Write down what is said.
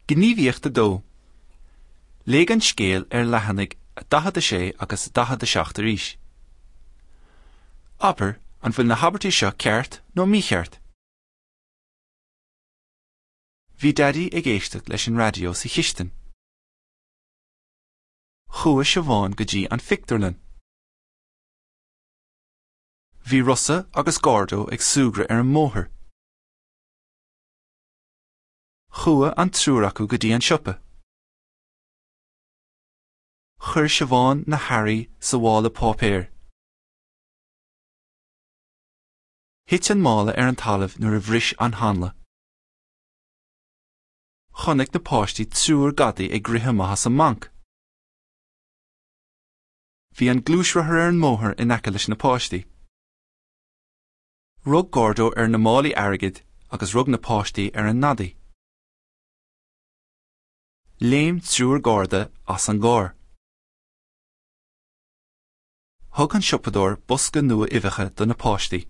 Gníomhaíocht 2. Léigh an scéal ar leathanaigh 46 agus 47 arís. Abair an bhfuil na habairtí seo ceart nó mícheart. Bhí Daidí ag éisteacht leis an raidió sa chistin. Chuaigh Siobhán go dtí an phictiúrlann. Bhí Rosa agus Gordo ag súgradh ar an mbóthar. Chuaigh an triúr acu go dtí an siopa. Chuir Siobhán na hearraí sa mhála páipéir. Thit an mála ar an talamh nuair a bhris an hanla. Chonaic na páistí triúr gadaí ag rith amach as an mbanc. Bhí an gluaisrothar ar an mbóthar in aice leis na páistí. Rug Gordo ar na málaí airgid agus rug na páistí ar an ngadaí. Léim triúr garda as an gcarr. Thug an siopadóir bosca nua uibheacha do na páistí.